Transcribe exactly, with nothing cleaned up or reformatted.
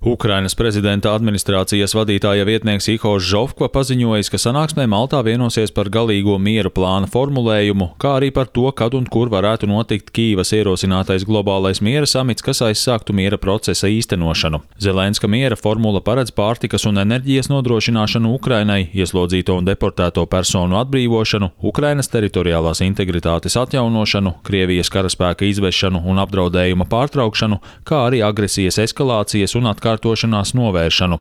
Ukrainas prezidenta administrācijas vadītāja vietnieks Ihors Žofkva paziņojis, ka sanāksmē Maltā vienosies par galīgo miera plāna formulējumu, kā arī par to, kad un kur varētu notikt Kīivas ierosinātais globālais miera samits, kas aizsāktu miera procesa īstenošanu. Zelenska miera formula paredz pārtikas un enerģijas nodrošināšanu Ukrainai, ieslodzīto un deportēto personu atbrīvošanu, Ukrainas teritoriālās integritātes atjaunošanu, Krievijas karaspēka izvešanu un apdraudējuma pārtraukšanu, kā arī agresijas eskalācijas un atkārtošanās novēršanu.